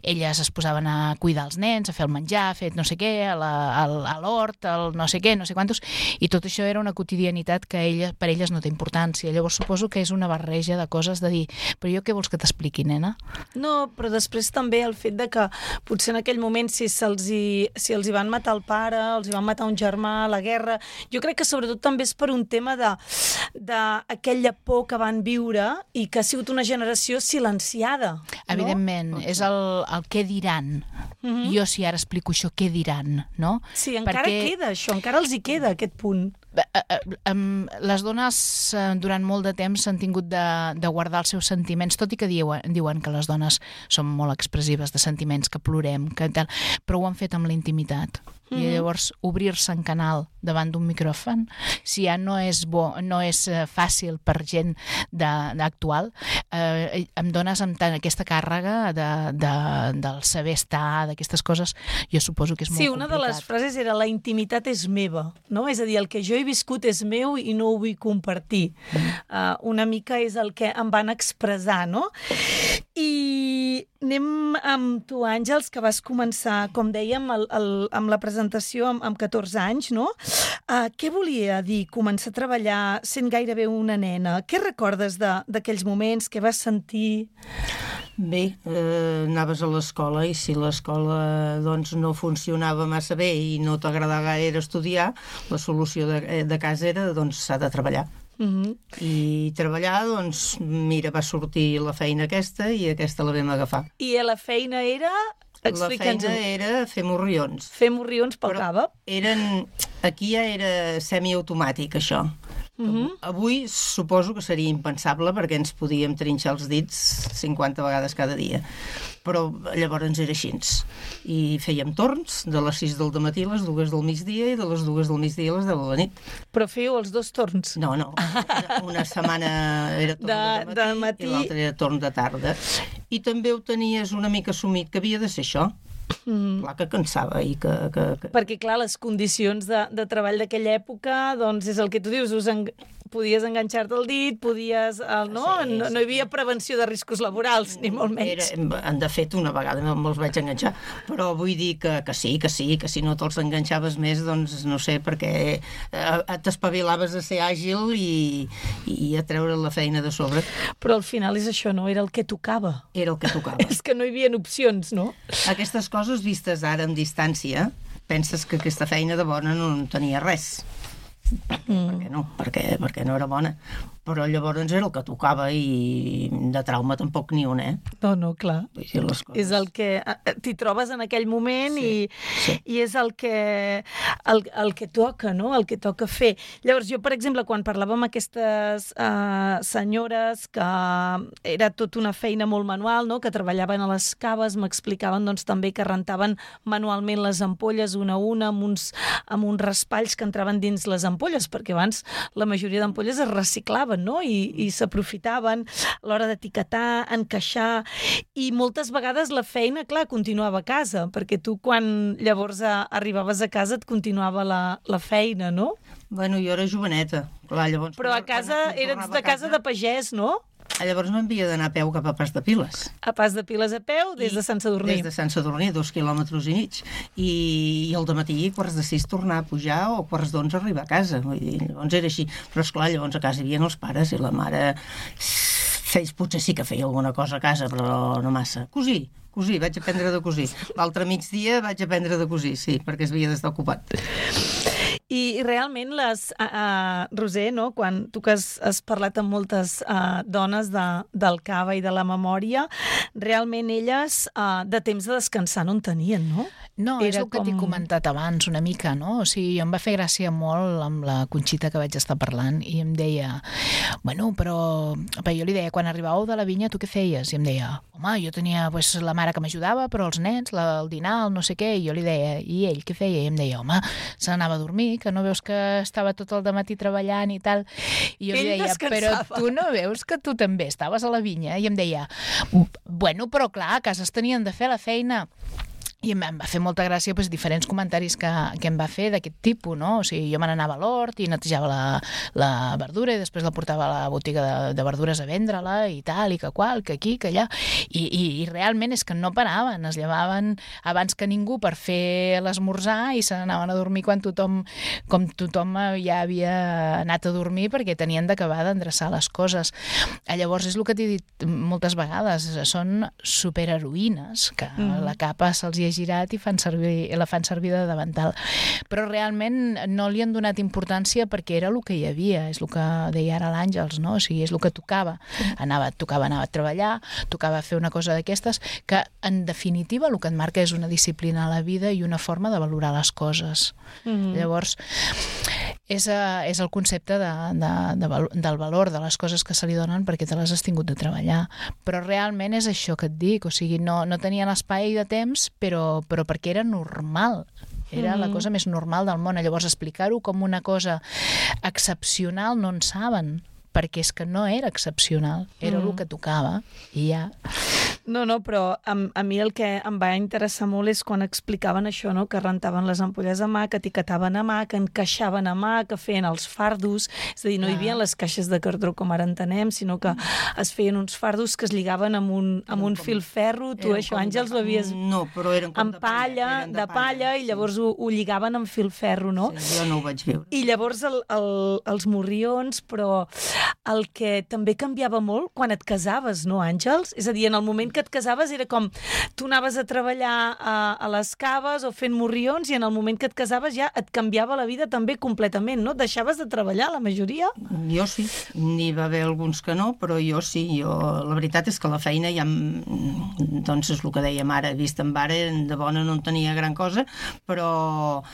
elles es posaven a cuidar els nens, a fer el menjar, a fer no sé què, a l'hort, el no sé què, no sé quantos, i tot això era una quotidianitat que ella, per elles no té importància. Llavors suposo que és una barreja de coses de dir, però jo què vols que t'expliqui, nena? No, però després també el fet de que potser en aquell moment si se'ls si els hi van matar el pare, els hi van matar un germà, la guerra... Jo crec que sobretot també és per un tema de d'aquella por que van viure i que ha sigut una generació silenciada. Evidentment, no? És el, el què diran. Mm-hmm. Jo si ara explico això, què diran, no? Sí, encara Perquè... queda això, encara els hi queda aquest punt. Les dones durant molt de temps s'han tingut de, de guardar els seus sentiments, tot i que diuen, diuen que les dones són molt expressives de sentiments, que plorem, que tal, però ho han fet amb la intimitat. Mm-hmm. I llavors obrir-se en canal davant d'un micròfon, si ja no és bo, no és fàcil per gent de, actual, eh, em dones amb tant aquesta càrrega de, de, del saber estar, d'aquestes coses, jo suposo que és molt sí, complicat. Sí, una de les frases era la intimitat és meva, no? És a dir, el que jo he viscut és meu i no ho vull compartir. Mm. Uh, una mica és el que em van expressar, no? I anem amb tu, Àngels, que vas començar, com dèiem, el, el, amb la presentació amb, amb catorze anys, no? Uh, què volia dir començar a treballar sent gairebé una nena? Què recordes d'aquells moments? Què vas sentir? Bé, eh, anaves a l'escola i si l'escola doncs, no funcionava massa bé i no t'agradava gaire estudiar, la solució de, de casa era doncs s'ha de treballar. Mm-hmm. I treballar, doncs, mira, va sortir la feina aquesta i aquesta la vam agafar. I la feina era... La feina era fer morrions. Fer morrions pel Cava? Eren... Aquí ja era semiautomàtic, això. Mm-hmm. Avui suposo que seria impensable perquè ens podíem trinxar els dits cinquanta vegades cada dia. Però llavors era així. I fèiem torns de les sis del dematí a les dues del migdia i de les dues del migdia a les deu de la nit. Però fèieu els dos torns? No, no. Una setmana era torn de, de matí, de matí i l'altra era torn de tarda. i també ho tenies una mica assumit que havia de ser això. Mm. Clar que cansava i que... que, que... Perquè, clar, les condicions de, de treball d'aquella època, doncs és el que tu dius, us en... podies enganxar-te el dit, podies... El, no? Sí, no, no hi havia prevenció de riscos laborals, ni molt menys. Era, de fet, una vegada me'ls vaig enganxar, però vull dir que, que sí, que sí, que si no te'ls enganxaves més, doncs no sé, perquè eh, t'espavilaves a ser àgil i, i a treure la feina de sobre. Però al final és això, no? Era el que tocava. Era el que tocava. És que no hi havia opcions, no? Aquestes coses vistes ara amb distància, penses que aquesta feina de bona no en tenia res. Mm. Per què no? Perquè, perquè no era bona. Però llavors era el que tocava i de trauma tampoc ni un, eh? No, no, clar. Vull dir, les coses... És el que... T'hi trobes en aquell moment sí, i, sí. i és el que, el, el que toca, no? El que toca fer. Llavors, jo, per exemple, quan parlava amb aquestes uh, senyores que era tot una feina molt manual, no? Que treballaven a les caves, m'explicaven doncs, també que rentaven manualment les ampolles una a una amb uns, amb uns raspalls que entraven dins les ampolles, perquè abans la majoria d'ampolles es reciclaven, no? I, i s'aprofitaven a l'hora d'etiquetar, encaixar, i moltes vegades la feina, clar, continuava a casa, perquè tu quan llavors a, arribaves a casa et continuava la, la feina, no? Bueno, jo era joveneta. Clar, llavors, però a casa eres de casa de pagès, no? Llavors m'havia d'anar a peu cap a Pas de Piles. A Pas de Piles a peu, des de Sant Sadurní. Des de Sant Sadurní, dos quilòmetres i mig. I, i al dematí, quarts de sis, tornar a pujar o quarts d'onze arribar a casa. Vull dir, llavors era així. Però, esclar, llavors a casa hi havia els pares i la mare... Feis, potser sí que feia alguna cosa a casa, però no massa. Cosir, cosir, vaig aprendre de cosir. L'altre migdia vaig aprendre de cosir, sí, perquè es havia d'estar ocupat. I realment, les, uh, uh, Roser, no? Quan tu que has, has parlat amb moltes uh, dones de, del cava i de la memòria, realment elles uh, de temps de descansar no en tenien, no? No, Era és el que com... t'he comentat abans una mica, no? O sigui, em va fer gràcia molt amb la Conxita que vaig estar parlant i em deia, bueno, però... però jo li deia, quan arribàveu de la vinya, tu què feies? I em deia, home, jo tenia pues, la mare que m'ajudava, però els nens, la, el dinar, el no sé què, i jo li deia, i ell què feia? I em deia, home, se n'anava a dormir, que no veus que estava tot el dematí treballant i tal. I jo ell li deia, descansava. Però tu no veus que tu també estaves a la vinya? I em deia, bueno, però clar, a casa es tenien de fer la feina. I em va fer molta gràcia doncs, diferents comentaris que, que em va fer d'aquest tipus, no? O sigui, jo me n'anava a l'hort i netejava la, la verdura i després la portava a la botiga de, de verdures a vendre-la i tal, i que qual, que aquí, que allà. I, i, i realment és que no paraven, es llevaven abans que ningú per fer l'esmorzar i se n'anaven a dormir quan tothom, com tothom ja havia anat a dormir perquè tenien d'acabar d'endreçar les coses. Llavors és el que t'he dit moltes vegades, són superheroïnes, que mm. la capa se'ls hi ha girat i fan servir, la fan servir de davantal. Però realment no li han donat importància perquè era el que hi havia, és el que deia ara l'Àngels, no? O sigui, és el que tocava. Anava, tocava anar a treballar, tocava fer una cosa d'aquestes, que en definitiva el que et marca és una disciplina a la vida i una forma de valorar les coses. Mm-hmm. Llavors, és, és el concepte de, de, de, del valor de les coses que se li donen perquè te les has tingut de treballar. Però realment és això que et dic, o sigui, no, no tenien espai de temps, però però perquè era normal. Era mm. la cosa més normal del món. Llavors, explicar-ho com una cosa excepcional no en saben, perquè és que no era excepcional, era mm. el que tocava, i ja... No, no, però a, a mi el que em va interessar molt és quan explicaven això, no? Que rentaven les ampolles a mà, que etiquetaven a mà, que encaixaven a mà, que feien els fardos, és a dir, no hi havia les caixes de cartró com ara entenem, sinó que es feien uns fardos que es lligaven amb un, amb un filferro. Tu això, Àngels, ho havies... No, però eren com amb palla, de, de palla, palla i llavors sí. ho, ho lligaven amb filferro, no? Sí, jo no ho vaig veure. I llavors el, el, els morrions, però el que també canviava molt quan et casaves, no, Àngels? És a dir, en el moment que et casaves era com tu anaves a treballar a, a les caves o fent morrions i en el moment que et casaves ja et canviava la vida també completament, no? Deixaves de treballar, la majoria? Jo sí, n'hi va haver alguns que no, però jo sí. Jo, la veritat és que la feina ja, doncs és el que dèiem ara, vist en ara, de bona no en tenia gran cosa, però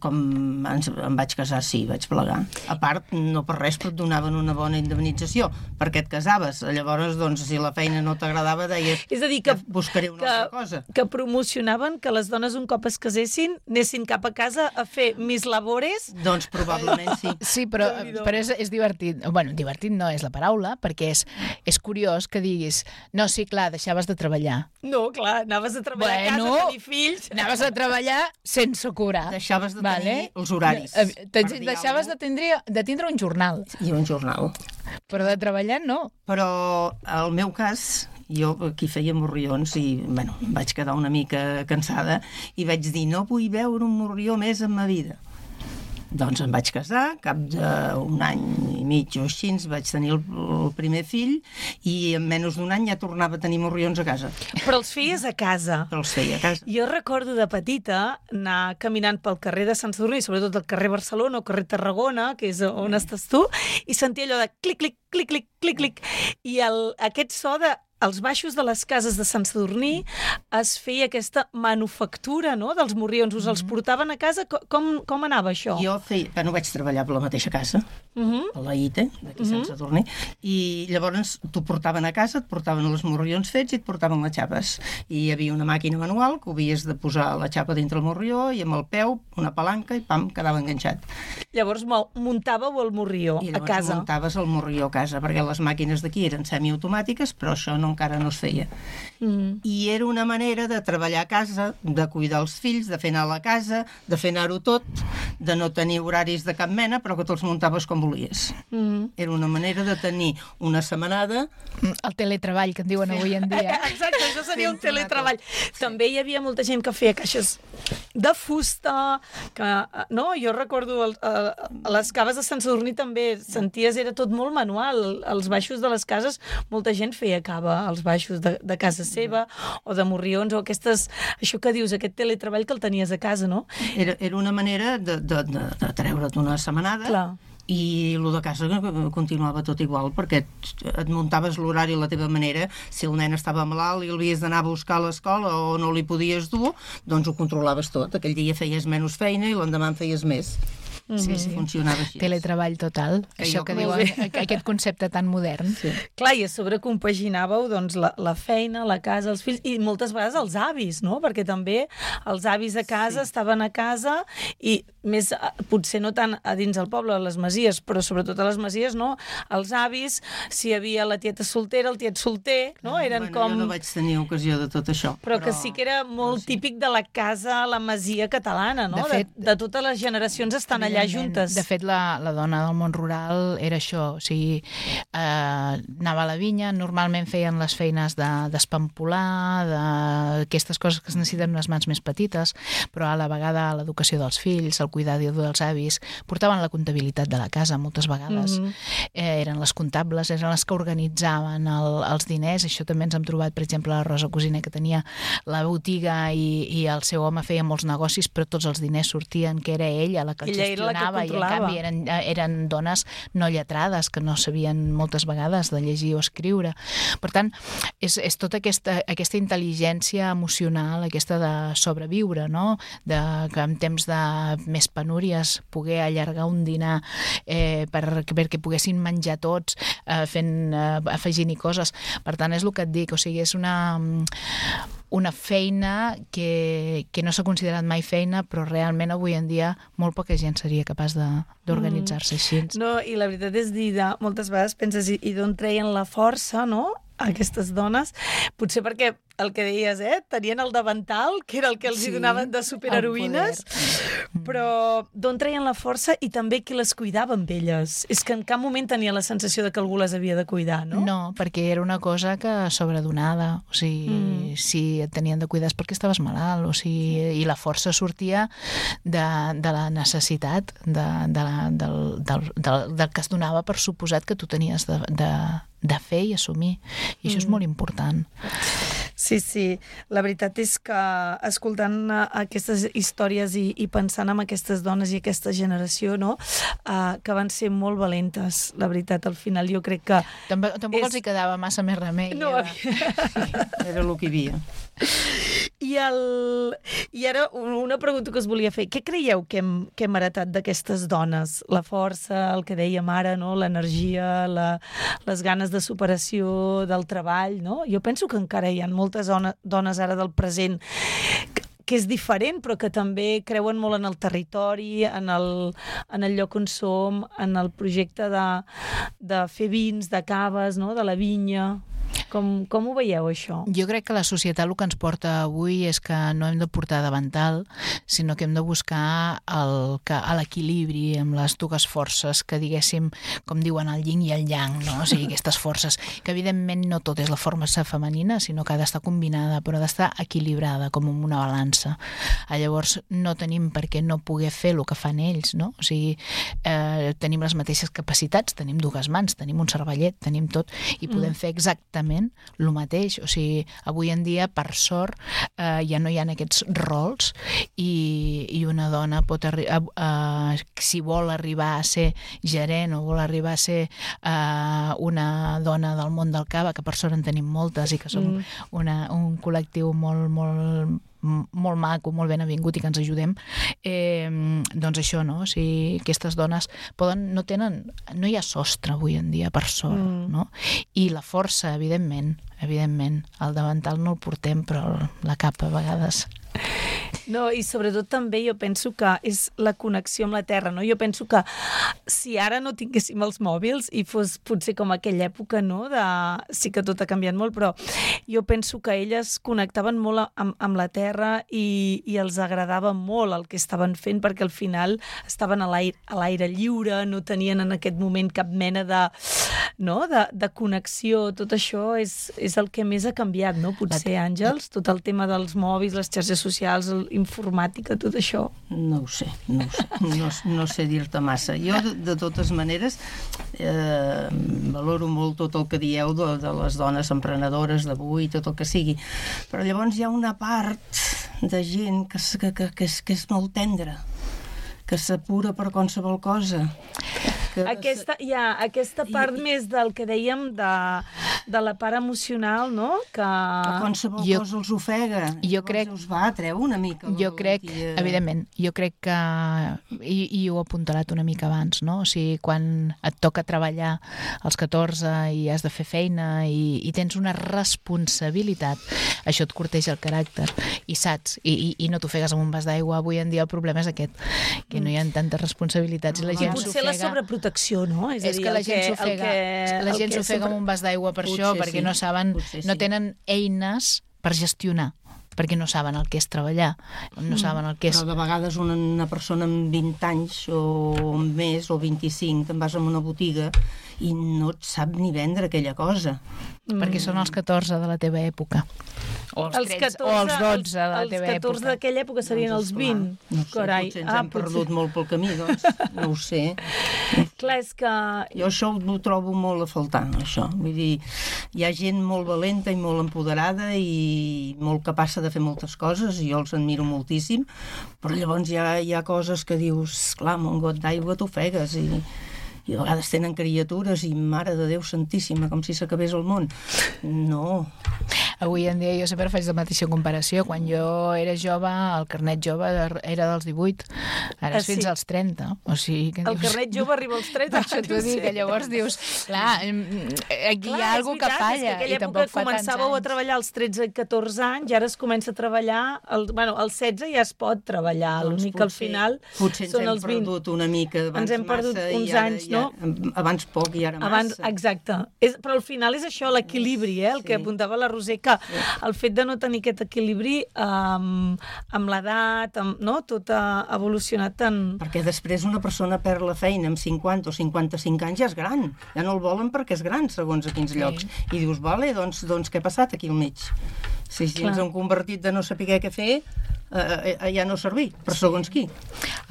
com ens, em vaig casar, sí, vaig plegar. A part, no per res, però et donaven una bona indemnització, perquè et casaves. Llavors, doncs, si la feina no t'agradava, deies... És a dir, que, buscaré una que, altra cosa. que promocionaven que les dones un cop es casessin anessin cap a casa a fer mis labores. Doncs probablement sí. Sí, però, però és, és divertit. Bueno, divertit no és la paraula, perquè és, és curiós que diguis no, sí, clar, deixaves de treballar. No, clar, anaves a treballar bueno, a casa, a tenir fills. Anaves a treballar sense cobrar. Deixaves de tenir vale? els horaris. Deixaves de tindre, de tindre un jornal. I un jornal. Però de treballar no. Però el meu cas, jo aquí feia morrions i, bueno, vaig quedar una mica cansada i vaig dir, no vull veure un morrió més en ma vida. Doncs em vaig casar, cap d'un any i mig o així vaig tenir el, el primer fill i en menys d'un any ja tornava a tenir morrions a casa. Però els feies a casa. Però els feia a casa. Jo recordo de petita anar caminant pel carrer de Sant Sadurní, sobretot el carrer Barcelona o carrer Tarragona, que és on estàs tu, i sentia allò de clic, clic, clic, clic, clic, clic, i el, aquest so de als baixos de les cases de Sant Sadurní es feia aquesta manufactura, no?, dels morrions. Us els portaven a casa? Com, com anava això? Jo feia, bueno, vaig treballar per la mateixa casa, uh-huh. a la I T E, d'aquí uh-huh. Sant Sadurní, i llavors t'ho portaven a casa, et portaven els morrions fets i et portaven les xapes. I hi havia una màquina manual que havies de posar la xapa dintre el morrió i amb el peu, una palanca i pam, quedava enganxat. Llavors muntàveu el morrió I a casa. I muntaves el morrió a casa, perquè les màquines d'aquí eren semiautomàtiques, però això no encara no es feia. Mm. I era una manera de treballar a casa, de cuidar els fills, de fer anar a la casa, de fer anar-ho tot, de no tenir horaris de cap mena, però que te'ls muntaves com volies. Mm. Era una manera de tenir una setmanada... El teletreball, que en diuen sí. avui en dia. Exacte, això seria un teletreball. Sí. També hi havia molta gent que feia caixes de fusta, que, no? Jo recordo el, a les caves de Sant Sadurní també senties, era tot molt manual. Als baixos de les cases molta gent feia cava als baixos de, de casa seva, o de morrions, o aquestes, això que dius, aquest teletreball que el tenies a casa, no? Era, era una manera de, de, de, de treure't una setmanada. Clar. I el de casa continuava tot igual, perquè et muntaves l'horari a la teva manera. Si el nen estava malalt i l'havies d'anar a buscar a l'escola o no li podies dur, doncs ho controlaves tot. Aquell dia feies menys feina i l'endemà en feies més. Sí, sí. Funcionava així. Teletreball total, que això que diuen, aquest concepte tan modern. Sí. Clar, i a sobre compaginàveu doncs, la, la feina, la casa, els fills, i moltes vegades els avis, no? Perquè també els avis a casa sí. estaven a casa i més, potser no tant a dins del poble, a les masies, però sobretot a les masies, no? Els avis, si hi havia la tieta soltera, el tiet solter, no? Eren bueno, com... Jo no vaig tenir ocasió de tot això. Però, però... que sí que era molt sí. típic de la casa, la masia catalana, no? De, fet, de, de totes les generacions estan allà juntes. De fet, la, la dona del món rural era això, o sigui, eh, anava a la vinya, normalment feien les feines d'espampolar, de, d'aquestes coses que es necessiten unes mans més petites, però a la vegada l'educació dels fills, el cuidar dels avis, portaven la comptabilitat de la casa moltes vegades. Mm-hmm. eh, eren les comptables, eren les que organitzaven el, els diners. Això també ens hem trobat, per exemple, la Rosa Cosina, que tenia la botiga i, i el seu home feia molts negocis, però tots els diners sortien, que era ella la que el gestionava, i en canvi eren, eren dones no lletrades, que no sabien moltes vegades de llegir o escriure. Per tant, és, és tota aquesta, aquesta intel·ligència emocional, aquesta de sobreviure, no? De, que en temps de més penúries poder allargar un dinar eh, per, perquè poguessin menjar tots eh, fent, eh, afegint-hi coses. Per tant, és el que et dic, o sigui, és una... una feina que, que no s'ha considerat mai feina, però realment avui en dia molt poca gent seria capaç d'organitzar-se així. No, i la veritat és dir, moltes vegades penses, i, i d'on treien la força, no?, aquestes dones, potser perquè el que deies, eh, tenien el davantal, que era el que els sí, hi donaven de superheroïnes, però d'on treien la força i també qui les cuidava amb elles. És que en cap moment tenia la sensació de que algú les havia de cuidar, no? No, perquè era una cosa que sobredonada, o sigui, mm. si et tenien de cuidar és perquè estaves malalt, o sigui, i la força sortia de, de la necessitat de, de la, del, del, del, del que es donava per suposat que tu tenies de, de, de fer i assumir. I això mm. és molt important. Sí, sí. La veritat és que escoltant aquestes històries i, i pensant en aquestes dones i aquesta generació, no?, uh, que van ser molt valentes, la veritat, al final jo crec que... Tampoc, tampoc és... els hi quedava massa més remei. No, era... era el que hi havia. I I, el... I ara una pregunta que us volia fer. Què creieu que hem, que hem heretat d'aquestes dones? La força, el que dèiem ara, no? L'energia, la... les ganes de superació del treball, no? Jo penso que encara hi ha moltes dones, dones ara del present que, que és diferent, però que també creuen molt en el territori, en el, en el lloc on som, en el projecte de, de fer vins, de caves, no? De la vinya. Com, com ho veieu, això? Jo crec que la societat el que ens porta avui és que no hem de portar davantal, sinó que hem de buscar el, que, l'equilibri amb les dues forces que, diguéssim, com diuen, el yin i el yang, no? O sigui, aquestes forces, que evidentment no tot és la forma femenina, sinó que ha d'estar combinada, però ha d'estar equilibrada, com en una balança. Llavors, no tenim per què no poder fer el que fan ells, no? O sigui, eh, tenim les mateixes capacitats, tenim dues mans, tenim un cervellet, tenim tot, i podem mm. fer exactament el mateix. O sigui, avui en dia, per sort, eh, ja no hi ha aquests rols i, i una dona pot arribar, eh, si vol arribar a ser gerent o vol arribar a ser eh, una dona del món del cava, que per sort en tenim moltes i que som mm. una, un col·lectiu molt, molt molt maco, molt ben avingut i que ens ajudem, eh, doncs això, no? O sigui, aquestes dones poden, no tenen, no hi ha sostre avui en dia, per sort, mm. no? I la força, evidentment, evidentment, el davantal no el portem, però la capa a vegades... No, i sobretot també jo penso que és la connexió amb la terra, no? Jo penso que si ara no tinguéssim els mòbils i fos potser com aquella època, no? De... Sí que tot ha canviat molt, però jo penso que elles connectaven molt amb, amb la terra i, i els agradava molt el que estaven fent, perquè al final estaven a l'aire, a l'aire lliure, no tenien en aquest moment cap mena de, no? de, de connexió. Tot això és, és el que més ha canviat, no? Potser, Àngels, tot el tema dels mòbils, les xarxes socials, informàtica, tot això? No ho sé, no ho sé, no, no sé dir-te massa. Jo, de, de totes maneres, eh, valoro molt tot el que dieu de, de les dones emprenedores d'avui, tot el que sigui, però llavors hi ha una part de gent que, que, que, que, és, que és molt tendra, que s'apura per qualsevol cosa. Que... Aquesta, ja, aquesta part I, més del que dèiem de, de la part emocional, no? Que... que qualsevol jo, cosa els ofega. Jo crec... us va, treu una mica. Jo crec, tia... evidentment, jo crec que... I, i ho he apuntalat una mica abans, no? O sigui, quan et toca treballar als catorze i has de fer feina i, i tens una responsabilitat, això et corteja el caràcter i saps, i, i, i no t'ofegues amb un vas d'aigua. Avui en dia el problema és aquest, que no hi ha tantes responsabilitats i la gent s'ofega. Potser la sobreprotecció, no? És, és a dir, que la gent s'ofega la gent s'ofega amb un vas d'aigua per potser això, perquè sí. no saben, sí. no tenen eines per gestionar, perquè no saben el que és treballar, no saben el que és... Però de vegades una, una persona amb vint anys o més, o vint-i-cinc, te'n vas a una botiga i no et sap ni vendre aquella cosa. Mm. Perquè són els catorze de la teva època. O els, els catorze, o els dotze de la els teva època. Els catorze d'aquella època serien doncs, els vint. No sé, Carai. potser ens ah, hem potser... perdut molt pel camí, doncs. No ho sé. Clar, és que... Jo això ho trobo molt a faltar, això. Vull dir, hi ha gent molt valenta i molt empoderada i molt capaç de fer moltes coses, i jo els admiro moltíssim, però llavors hi ha, hi ha coses que dius, clar, amb un got d'aigua t'ofegues i... i a vegades tenen criatures i mare de Déu santíssima, com si s'acabés el món. No. Avui en dia jo sempre faig la mateixa comparació. Quan jo era jove, el carnet jove era dels divuit, ara és ah, sí? fins als trenta. O sigui, que el dius... carnet jove arriba als trenta. Això t'ho dic, que llavors dius, clar, aquí clar, hi ha alguna cosa que falla. És que i tampoc fa començàveu a treballar als tretze i catorze anys, i ara es comença a treballar, el, bueno, als setze ja es pot treballar, doncs l'únic que al final potser són els vint. Potser ens hem perdut una mica abans ens hem perdut massa, uns ara, anys, ja, no? Abans poc i ara abans, massa. Exacte. És, però al final és això, l'equilibri, eh? El sí. que apuntava la Roser, que sí. el fet de no tenir aquest equilibri um, amb l'edat, amb, no? Tot ha evolucionat tant... Perquè després una persona perd la feina amb cinquanta o cinquanta-cinc anys, ja és gran. Ja no el volen perquè és gran, segons a quins sí. llocs. I dius, vale, doncs, doncs què ha passat aquí al mig? Si Clar. ens hem convertit de no saber què fer, eh, eh, ja no servir, per segons qui.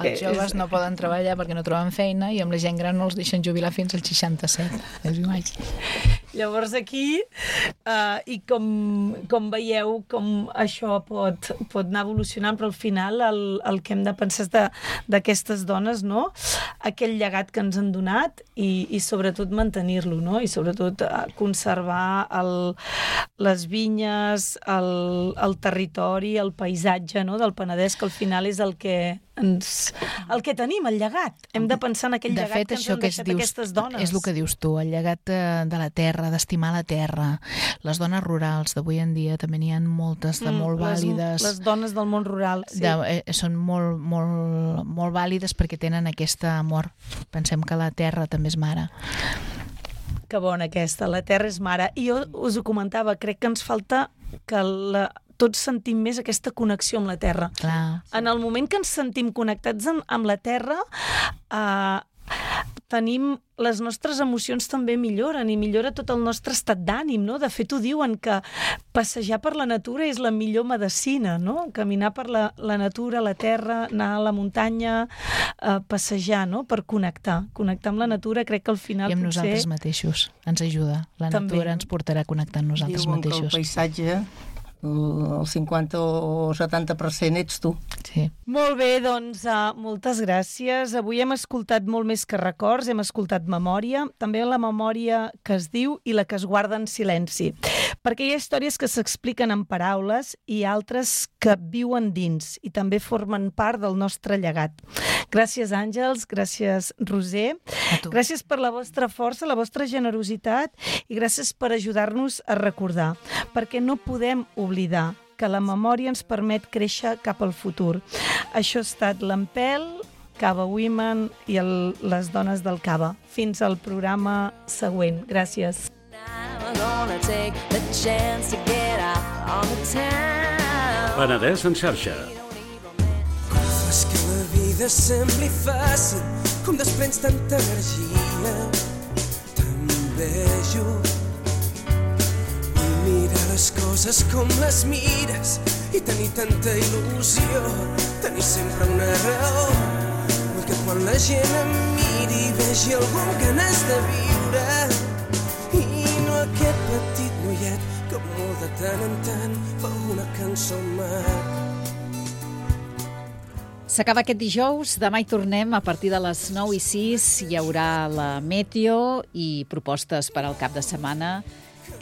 Els joves no poden treballar perquè no troben feina i amb la gent gran no els deixen jubilar fins als seixanta-set. Llavors aquí, uh, i com, com veieu, com això pot, pot anar evolucionant, però al final el, el que hem de pensar és d'aquestes dones, no? Aquell llegat que ens han donat i, i sobretot mantenir-lo, no? I sobretot uh, conservar el, les vinyes, el, el territori, el paisatge, no? Del Penedès, que al final és el que ens, el que tenim, el llegat. Hem de pensar en aquell de llegat fet, que ens això han que deixat dius, aquestes dones. És el que dius tu, el llegat de la terra, d'estimar la terra. Les dones rurals d'avui en dia també n'hi ha moltes de molt mm, vàlides. Les, les dones del món rural, sí. De, eh, són molt, molt, molt vàlides perquè tenen aquest amor. Pensem que la terra també és mare. Que bona aquesta, la terra és mare. I jo us ho comentava, crec que ens falta que la, tots sentim més aquesta connexió amb la terra. Clar. En el moment que ens sentim connectats amb, amb la terra, eh, tenim, les nostres emocions també milloren i millora tot el nostre estat d'ànim, no? De fet, ho diuen que passejar per la natura és la millor medecina, no? Caminar per la, la natura, la terra, anar a la muntanya, eh, passejar, no? Per connectar. Connectar amb la natura, crec que al final I amb potser... nosaltres mateixos. Ens ajuda. La també, natura ens portarà a connectar amb nosaltres Diuen mateixos. Que el paisatge, el cinquanta o setanta per cent ets tu. Sí. Molt bé, doncs, uh, moltes gràcies. Avui hem escoltat molt més que records, hem escoltat memòria, també la memòria que es diu i la que es guarda en silenci. Perquè hi ha històries que s'expliquen en paraules i altres que viuen dins i també formen part del nostre llegat. Gràcies, Àngels, gràcies, Roser. Gràcies per la vostra força, la vostra generositat i gràcies per ajudar-nos a recordar, perquè no podem oblidar que la memòria ens permet créixer cap al futur. Això ha estat l'Empel, Cava Women i el, les dones del Cava. Fins al programa següent. Gràcies. Penedès en xarxa. Fas que la vida sembli fàcil, com desprens tanta energia. També jo mirar les coses com les mires i tenir tanta il·lusió, tenir sempre una raó. Vull que quan la gent em miri vegi algú amb ganes de viure i no aquest petit noiet que molt de tant en tant fa una cançó maca. S'acaba aquest dijous, demà hi tornem a partir de les nou i sis. Hi haurà la Meteo i propostes per al cap de setmana,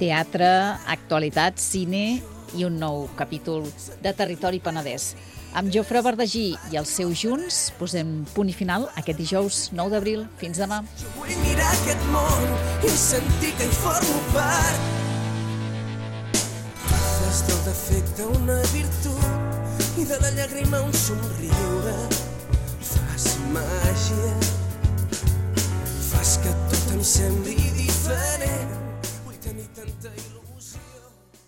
teatre, actualitat, cine i un nou capítol de Territori Penedès. Amb Jofre Verdagí i els seus Junts posem punt i final aquest dijous nou d'abril. Fins demà. Jo vull mirar aquest món i sentir que hi formo part. Fas del defecte una virtut i de la llàgrima un somriure. Fas màgia, fas que tot em sembli diferent.